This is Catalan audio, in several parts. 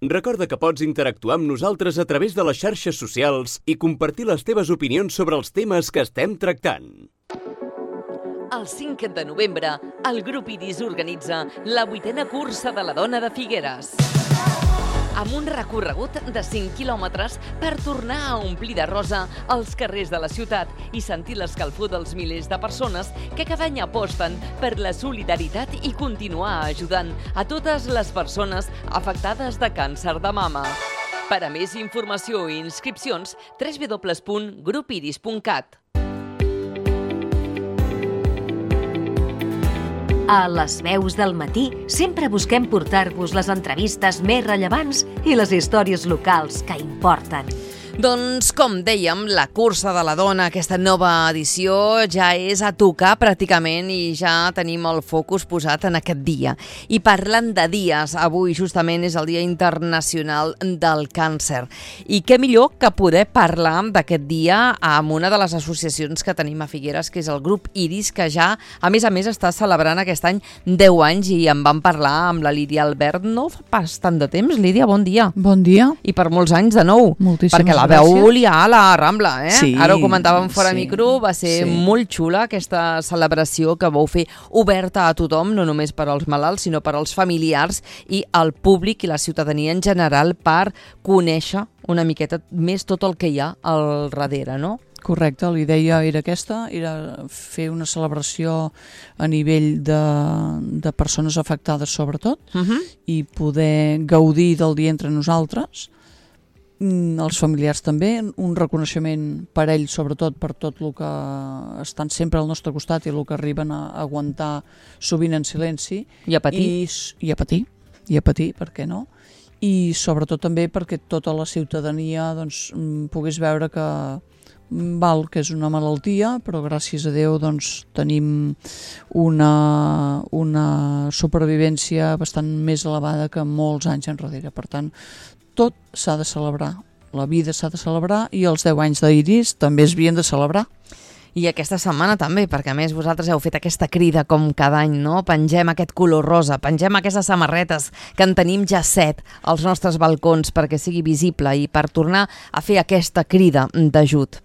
Recorda que pots interactuar amb nosaltres a través de les xarxes socials i compartir les teves opinions sobre els temes que estem tractant. El 5 de novembre, el grup Iris organitza la 8a cursa de la dona de Figueres. Amb un recorregut de 5 quilòmetres per tornar a omplir de rosa els carrers de la ciutat i sentir l'escalfor dels milers de persones que cada any aposten per la solidaritat i continuar ajudant a totes les persones afectades de càncer de mama. Per a més informació i inscripcions, www.grupiris.cat. A les veus del matí sempre busquem portar-vos les entrevistes més rellevants i les històries locals que importen. Doncs, com dèiem, la cursa de la dona, aquesta nova edició, ja és a tocar pràcticament i ja tenim el focus posat en aquest dia. I parlant de dies, avui justament és el Dia Internacional del Càncer. I què millor que poder parlar d'aquest dia amb una de les associacions que tenim a Figueres, que és el grup Iris, que ja, a més, està celebrant aquest any 10 anys i en vam parlar amb la Lídia Albert no fa pas tant de temps. Lídia, bon dia. Bon dia. I per molts anys de nou. Moltíssimes perquè la veu liar a la Rambla, eh? Sí, ara ho comentàvem fora micro, va ser sí. molt xula aquesta celebració que vau fer oberta a tothom, no només per als malalts, sinó per als familiars i al públic i la ciutadania en general per conèixer una miqueta més tot el que hi ha al darrere, no? Correcte, la idea era aquesta, era fer una celebració a nivell de persones afectades sobretot i poder gaudir del dia entre nosaltres, els familiars també, un reconeixement per ells sobretot per tot el que estan sempre al nostre costat i el que arriben a aguantar sovint en silenci i a patir, i a patir, per què no? I sobretot també perquè tota la ciutadania doncs, pogués veure que és una malaltia, però gràcies a Déu doncs, tenim una supervivència bastant més elevada que molts anys enrere. Per tant, tot s'ha de celebrar, la vida s'ha de celebrar i els 10 anys d'Iris també es havien de celebrar. I aquesta setmana també, perquè a més vosaltres heu fet aquesta crida com cada any, no? Pengem aquest color rosa, pengem aquestes samarretes que en tenim ja 7 als nostres balcons perquè sigui visible i per tornar a fer aquesta crida d'ajut.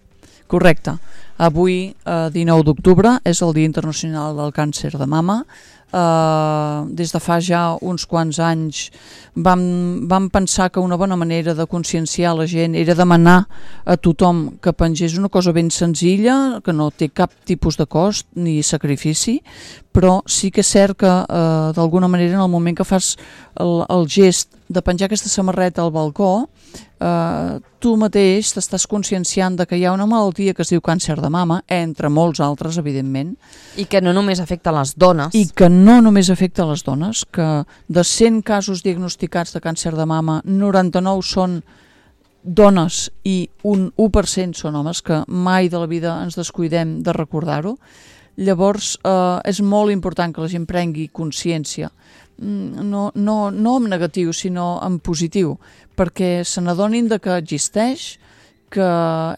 Correcte. Avui, 19 d'octubre, és el Dia Internacional del Càncer de Mama. Des de fa ja uns quants anys vam pensar que una bona manera de conscienciar la gent era demanar a tothom que pengés una cosa ben senzilla, que no té cap tipus de cost ni sacrifici, però sí que és cert que d'alguna manera en el moment que fas el gest de penjar aquesta samarreta al balcó, tu mateix t'estàs conscienciant de que hi ha una malaltia que es diu càncer de mama, entre molts altres, evidentment. I que no només afecta les dones. I que no només afecta les dones, que de 100 casos diagnosticats de càncer de mama, 99 són dones i un 1% són homes, que mai de la vida ens descuidem de recordar-ho. Llavors és molt important que la gent prengui consciència, no en negatiu sinó en positiu, perquè se n'adonin de que existeix, que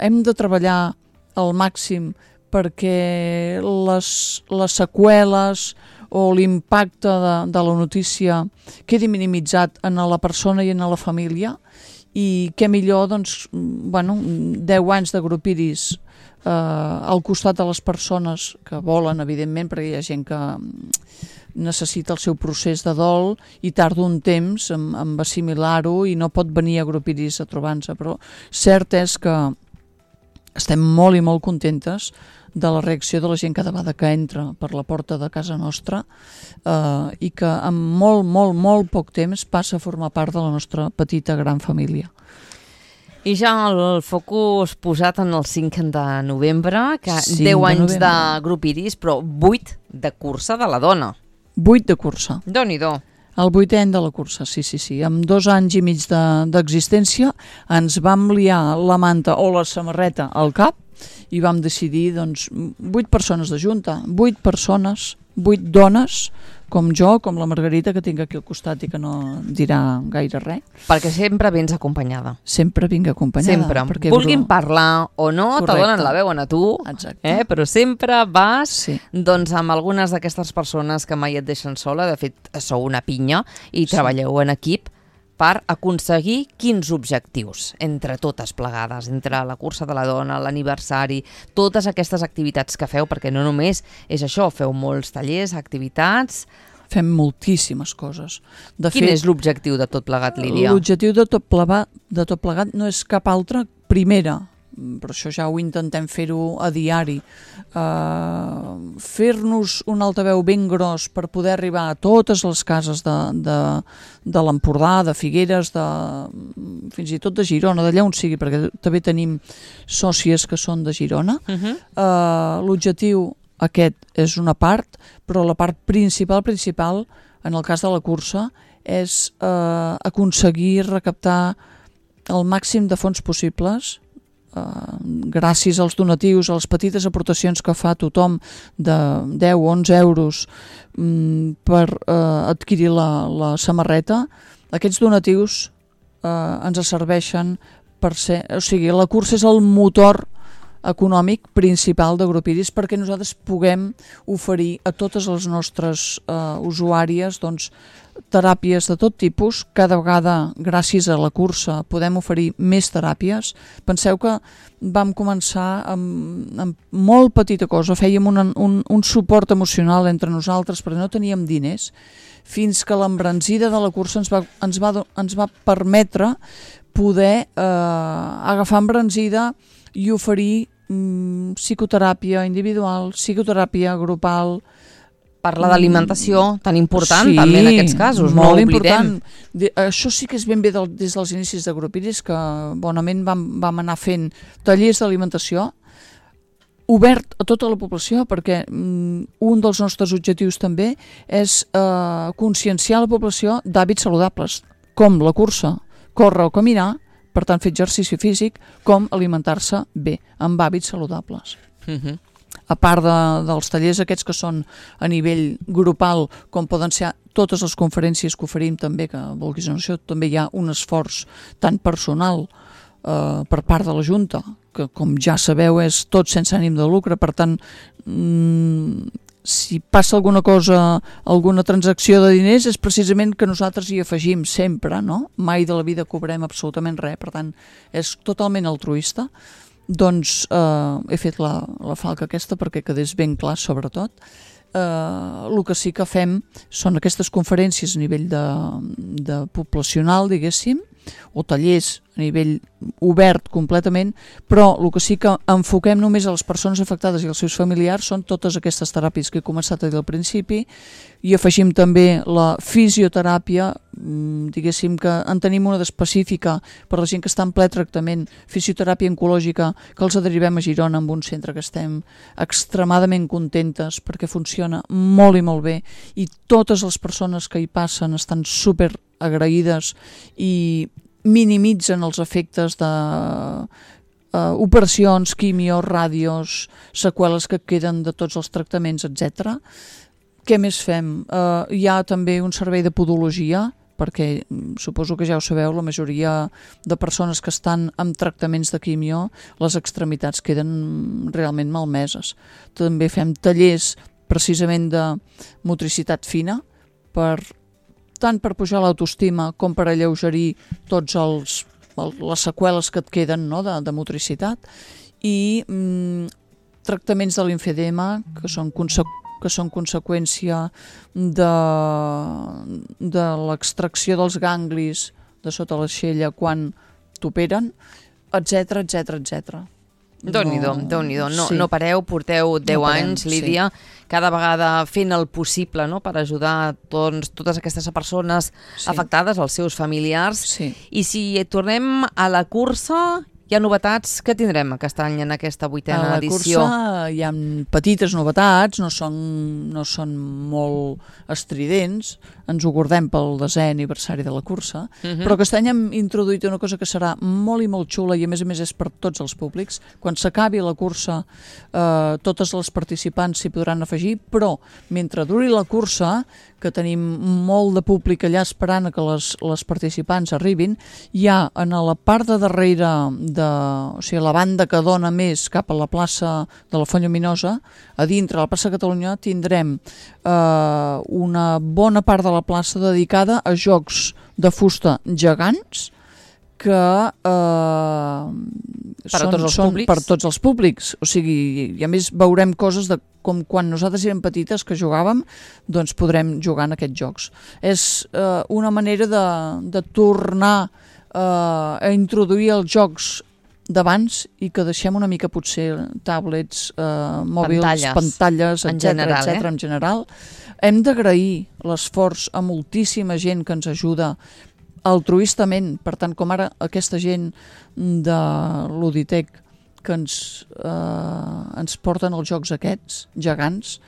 hem de treballar al màxim perquè les seqüeles o l'impacte de la notícia quedi minimitzat en la persona i en la família, i què millor, doncs, 10 anys de grup Iris al costat de les persones que volen, evidentment, perquè hi ha gent que necessita el seu procés de dol i tarda un temps en assimilar-ho i no pot venir a grup Iris a trobar-se, però cert és que estem molt i molt contentes de la reacció de la gent cada vegada que entra per la porta de casa nostra i que en molt poc temps passa a formar part de la nostra petita gran família. I ja el focus posat en el 5 de novembre, que 10 anys de grup Iris, però 8 de cursa de la dona. 8 de cursa. Déu-n'hi-do. El 8è any de la cursa, sí. Amb 2 anys i mig d'existència ens vam liar la manta o la samarreta al cap i vam decidir, doncs, 8 persones de junta, 8 persones, 8 dones, com jo, com la Margarita, que tinc aquí al costat i que no dirà gaire res. Perquè sempre vens acompanyada. Sempre vinc acompanyada. Sempre. Vulguin parlar o no, te donen la veu a tu, però sempre vas doncs, amb algunes d'aquestes persones que mai et deixen sola. De fet, sou una pinya i treballeu en equip. per aconseguir quins objectius entre totes plegades, entre la cursa de la dona, l'aniversari, totes aquestes activitats que feu, perquè no només és això, feu molts tallers, activitats. Fem moltíssimes coses. Quin és l'objectiu de tot plegat, Lídia? L'objectiu de tot plegat no és cap altre. Primera, però això ja ho intentem fer-ho a diari, fer-nos un altaveu ben gros per poder arribar a totes les cases de l'Empordà, de Figueres, fins i tot de Girona, d'allà on sigui, perquè també tenim sòcies que són de Girona. L'objectiu aquest és una part, però la part principal, en el cas de la cursa, és aconseguir recaptar el màxim de fons possibles, gràcies als donatius, a les petites aportacions que fa tothom de 10 o 11 euros per adquirir la samarreta. Aquests donatius ens serveixen per ser... O sigui, la cursa és el motor econòmic principal de Grup Iris perquè nosaltres puguem oferir a totes les nostres usuàries teràpies de tot tipus. Cada vegada, gràcies a la cursa, podem oferir més teràpies. Penseu que vam començar amb molt petita cosa, fèiem un suport emocional entre nosaltres perquè no teníem diners, fins que l'embranzida de la cursa ens va permetre poder agafar embranzida i oferir psicoteràpia individual, psicoteràpia grupal. Parla d'alimentació, tan important també en aquests casos, no ho oblidem. Això sí que és ben bé des dels inicis de Grup Iris, que bonament vam anar fent tallers d'alimentació obert a tota la població, perquè un dels nostres objectius també és conscienciar la població d'hàbits saludables, com la cursa, córrer o caminar, per tant fer exercici físic, com alimentar-se bé, amb hàbits saludables. A part dels tallers aquests que són a nivell grupal, com poden ser totes les conferències que oferim també, que vulguis o no, també hi ha un esforç tan personal per part de la Junta, que com ja sabeu és tot sense ànim de lucre, per tant si passa alguna cosa, alguna transacció de diners, és precisament que nosaltres hi afegim sempre, no? Mai de la vida cobrem absolutament res, per tant és totalment altruista. Doncs he fet la falca aquesta perquè quedés ben clar, sobretot. El que sí que fem són aquestes conferències a nivell de poblacional, diguéssim, o tallers a nivell obert completament, però el que sí que enfoquem només a les persones afectades i als seus familiars són totes aquestes teràpies que he començat a dir al principi, i afegim també la fisioteràpia, diguéssim que en tenim una d'específica per la gent que està en ple tractament, fisioteràpia oncològica, que els derivem a Girona amb un centre que estem extremadament contentes perquè funciona molt i molt bé, i totes les persones que hi passen estan super agraïdes i minimitzen els efectes de operacions, quimio, ràdios, seqüeles que queden de tots els tractaments, etc. Què més fem? Hi ha també un servei de podologia, perquè suposo que ja ho sabeu, la majoria de persones que estan amb tractaments de quimio, les extremitats queden realment malmeses. També fem tallers precisament de motricitat fina, tant per pujar l'autoestima com per alleugerir tots les seqüeles que et queden, no, de motricitat, i tractaments de l'imfedema que són conseqüència de l'extracció dels ganglis de sota l'aixella quan t'operen, etc, etc, etc. Déu-n'hi-do, no pareu, porteu 10 anys, Lídia, cada vegada fent el possible, no?, per ajudar totes aquestes persones afectades, els seus familiars. I si tornem a la cursa, hi ha novetats que tindrem aquest any en aquesta 8a edició? A la cursa hi ha petites novetats, no són molt estridents, ens ho guardem pel 10è aniversari de la cursa, però aquest any hem introduït una cosa que serà molt i molt xula, i a més és per tots els públics. Quan s'acabi la cursa, totes les participants s'hi podran afegir, però mentre duri la cursa, que tenim molt de públic allà esperant que les participants arribin, hi ha en la part de darrere, o sigui, la banda que dona més cap a la plaça de la Font Lluminosa, a dintre la plaça de Catalunya tindrem una bona part de la plaça dedicada a jocs de fusta gegants que són per tots els públics. O sigui, i a més veurem coses de com quan nosaltres érem petites que jugàvem, doncs podrem jugar en aquests jocs. És una manera de tornar a introduir els jocs d'abans i que deixem una mica potser tablets, mòbils, pantalles, etc. En general. Hem d'agrair l'esforç a moltíssima gent que ens ajuda altruistament, per tant, com ara aquesta gent de l'Uditec que ens porten els jocs aquests, gegants,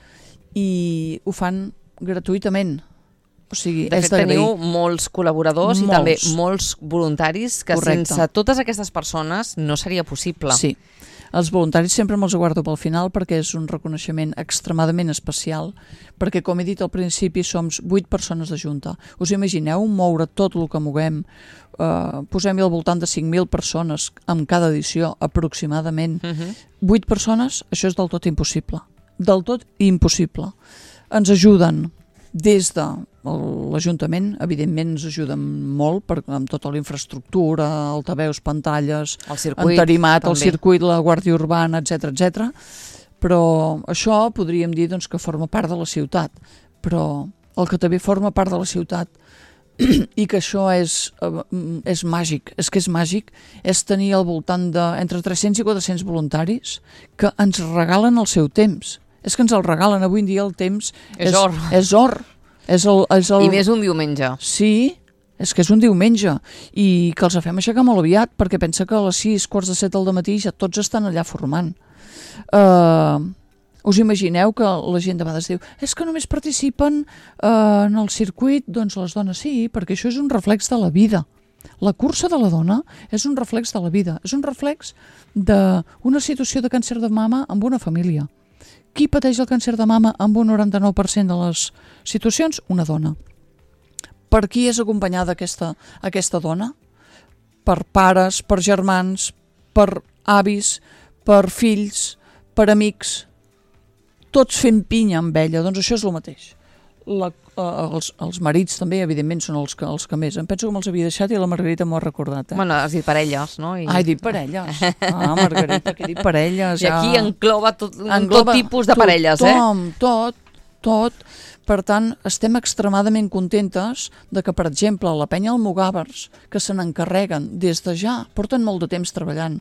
i ho fan gratuïtament. O sigui, de fet, teniu molts col·laboradors i també molts voluntaris que sense totes aquestes persones no seria possible. Sí. Els voluntaris sempre me'ls guardo pel final perquè és un reconeixement extremadament especial, perquè, com he dit al principi, som 8 persones de junta. Us imagineu moure tot el que moguem? Posem-hi al voltant de 5.000 persones en cada edició, aproximadament. 8 persones, això és del tot impossible. Del tot impossible. Ens ajuden des de l'Ajuntament, evidentment ens ajuden molt amb tota la infraestructura, altaveus, pantalles, entarimat, el circuit, la Guàrdia Urbana, etc. Però això podríem dir doncs, que forma part de la ciutat. Però el que també forma part de la ciutat i que això és màgic, és tenir al voltant d'entre 300 i 400 voluntaris que ens regalen el seu temps. És que ens el regalen. Avui en dia el temps és or. És or. I més un diumenge. Sí, és que és un diumenge. I que els fem aixecar molt aviat, perquè pensa que a les 6, quarts de 7 del matí ja tots estan allà formant. Us imagineu que la gent de vegades diu és que només participen en el circuit, doncs les dones sí, perquè això és un reflex de la vida. La cursa de la dona és un reflex de la vida, és un reflex d'una situació de càncer de mama amb una família. Qui pateix el càncer de mama amb un 99% de les situacions? Una dona. Per qui és acompanyada aquesta dona? Per pares, per germans, per avis, per fills, per amics, tots fent pinya amb ella. Doncs això és el mateix. Els marits també, evidentment, són els que més. Em penso que me'ls havia deixat i la Margarita m'ho ha recordat. Bueno, has dit parelles, no? He dit parelles. Margarita, que he dit parelles. I aquí engloba tot tipus de parelles, Tot. Per tant, estem extremadament contentes de que, per exemple, la penya Almogàvers, que se n'encarreguen des de ja, porten molt de temps treballant,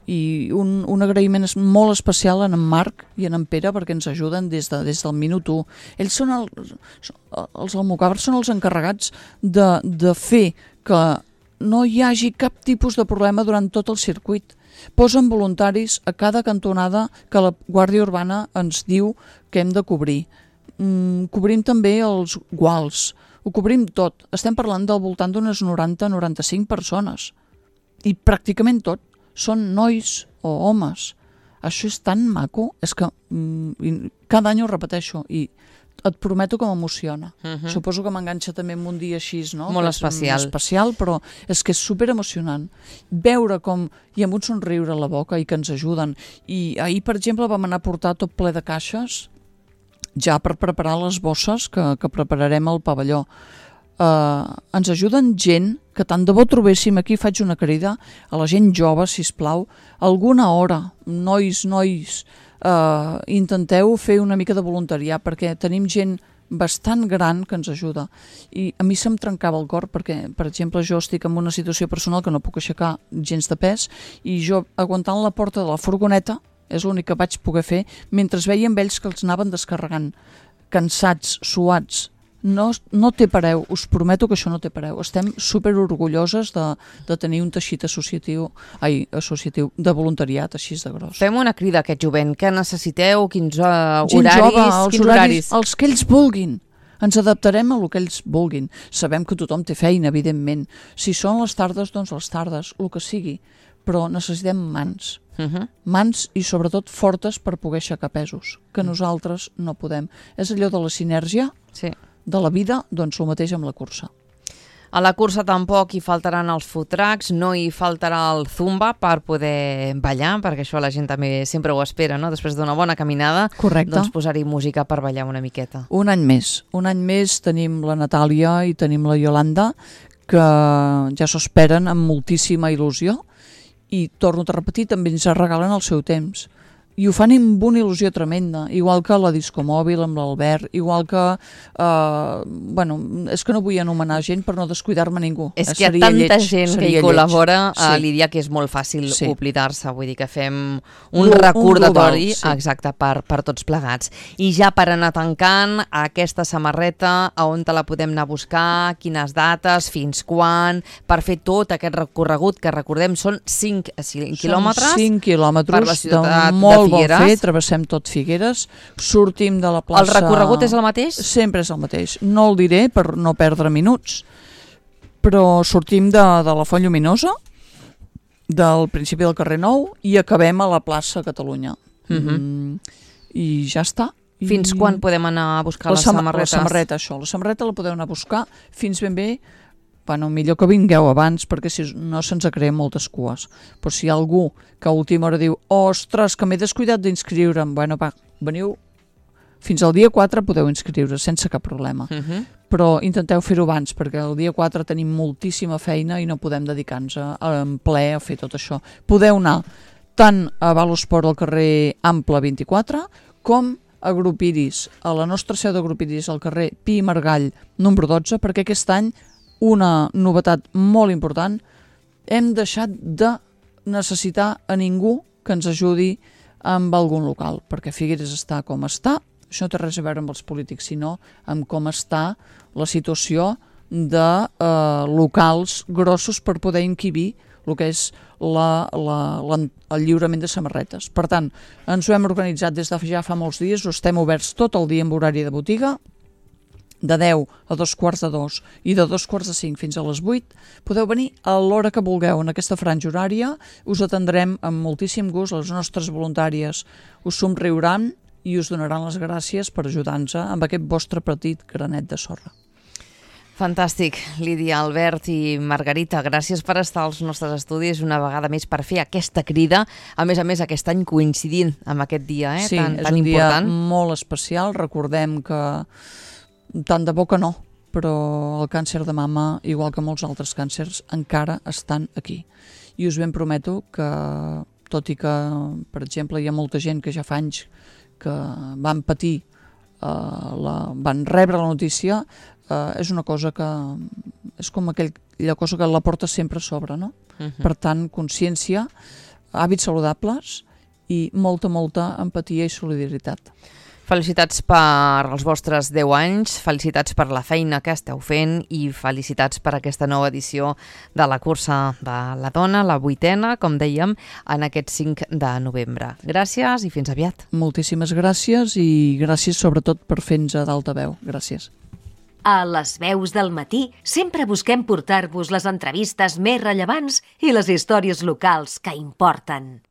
i un agraïment molt especial a en Marc i a en Pere perquè ens ajuden des del minut 1. Ells són els Almogàvers són els encarregats de fer que no hi hagi cap tipus de problema durant tot el circuit. Posen voluntaris a cada cantonada que la Guàrdia Urbana ens diu que hem de cobrir. Cobrim també els guals, ho cobrim tot. Estem parlant del voltant d'unes 90-95 persones i pràcticament tot són nois o homes. Això és tan maco, és que cada any ho repeteixo i et prometo que m'emociona. Suposo que m'enganxa també en un dia així, no? Molt especial, però és que és superemocionant veure com hi ha un somriure a la boca i que ens ajuden. I ahir, per exemple, vam anar a portar tot ple de caixes ja per preparar les bosses que prepararem al pavelló. Ens ajuden gent que tant de bo trobéssim, aquí faig una crida a la gent jove, sisplau, alguna hora, nois, intenteu fer una mica de voluntariat perquè tenim gent bastant gran que ens ajuda i a mi se'm trencava el cor perquè, per exemple, jo estic en una situació personal que no puc aixecar gens de pes i jo aguantant la porta de la furgoneta és l'únic que vaig poder fer mentre veiem ells que els anaven descarregant cansats, suats. No té pareu, us prometo que això no té pareu. Estem superorgulloses de tenir un teixit associatiu de voluntariat així de gros. Fem una crida a aquest jovent. Què necessiteu? Quins horaris? Els que ells vulguin. Ens adaptarem a el que ells vulguin. Sabem que tothom té feina, evidentment. Si són les tardes, doncs les tardes, el que sigui. Però necessitem mans. Mans i sobretot fortes per poder aixecar pesos, que nosaltres no podem. És allò de la sinergia? Sí. De la vida, doncs el mateix amb la cursa. A la cursa tampoc hi faltaran els food trucks, no hi faltarà el zumba per poder ballar, perquè això la gent també sempre ho espera, no? Després d'una bona caminada, correcte, doncs posar-hi música per ballar una miqueta. Un any més tenim la Natàlia i tenim la Iolanda, que ja s'ho esperen amb moltíssima il·lusió i, torno a repetir, també ens regalen el seu temps. I ho fan amb una il·lusió tremenda, igual que la Disco Mòbil amb l'Albert, igual que... bueno, és que no vull anomenar gent per no descuidar-me ningú. És que hi ha tanta gent que hi col·labora, Lídia, que és molt fàcil Sí. oblidar-se. Vull dir que fem un recordatori exacte per tots plegats. I ja per anar tancant, aquesta samarreta, a on te la podem anar a buscar, quines dates, fins quan, per fer tot aquest recorregut, que recordem són 5 quilòmetres. Són 5 quilòmetres per la ciutat molt de Figueres. bon fer, travessem tot Figueres, sortim de la plaça... El recorregut és el mateix? Sempre és el mateix. No el diré per no perdre minuts, però sortim de la Font Lluminosa, del principi del carrer Nou, i acabem a la plaça Catalunya. I ja està. Fins quan podem anar a buscar les samarretes? La samarreta, això. La samarreta la podeu anar a buscar fins ben bé. Bueno, millor que vingueu abans, perquè si no se'ns creen moltes cues. Però si hi ha algú que a última hora diu ostres, que m'he descuidat d'inscriure'm, bueno, va, veniu, fins al dia 4 podeu inscriure sense cap problema. Però intenteu fer-ho abans, perquè el dia 4 tenim moltíssima feina i no podem dedicar-nos en ple a fer tot això. Podeu anar tant a Valosport al carrer Ample 24, com a Grup Iris, a la nostra seu de Grup Iris, al carrer Pi i Margall, número 12, perquè aquest any una novetat molt important, hem deixat de necessitar a ningú que ens ajudi amb algun local, perquè Figueres està com està, això no té res a veure amb els polítics, sinó amb com està la situació de locals grossos per poder encabir el que és el lliurament de samarretes. Per tant, ens ho hem organitzat des de ja fa molts dies, estem oberts tot el dia amb horari de botiga, de 10 a 2:45 i de 2:45 fins a les 8, podeu venir a l'hora que vulgueu en aquesta franja horària, us atendrem amb moltíssim gust, les nostres voluntàries us somriuran i us donaran les gràcies per ajudar-nos amb aquest vostre petit granet de sorra. Fantàstic, Lídia, Albert i Margarita, gràcies per estar als nostres estudis una vegada més per fer aquesta crida, a més aquest any coincidint amb aquest dia Sí, tan és un important. dia molt especial, recordem que tant de bo que no, però el càncer de mama, igual que molts altres càncers, encara estan aquí. I us ben prometo que, tot i que, per exemple, hi ha molta gent que ja fa anys que van patir, van rebre la notícia, és una cosa que és com aquella cosa que la porta sempre a sobre, no? Per tant, consciència, hàbits saludables i molta empatia i solidaritat. Felicitats per els vostres 10 anys, felicitats per la feina que esteu fent i felicitats per aquesta nova edició de la cursa de la dona, la 8a, com dèiem, en aquest 5 de novembre. Gràcies i fins aviat. Moltíssimes gràcies i gràcies sobretot per fer-nos d'altaveu. Gràcies. A les veus del matí sempre busquem portar-vos les entrevistes més rellevants i les històries locals que importen.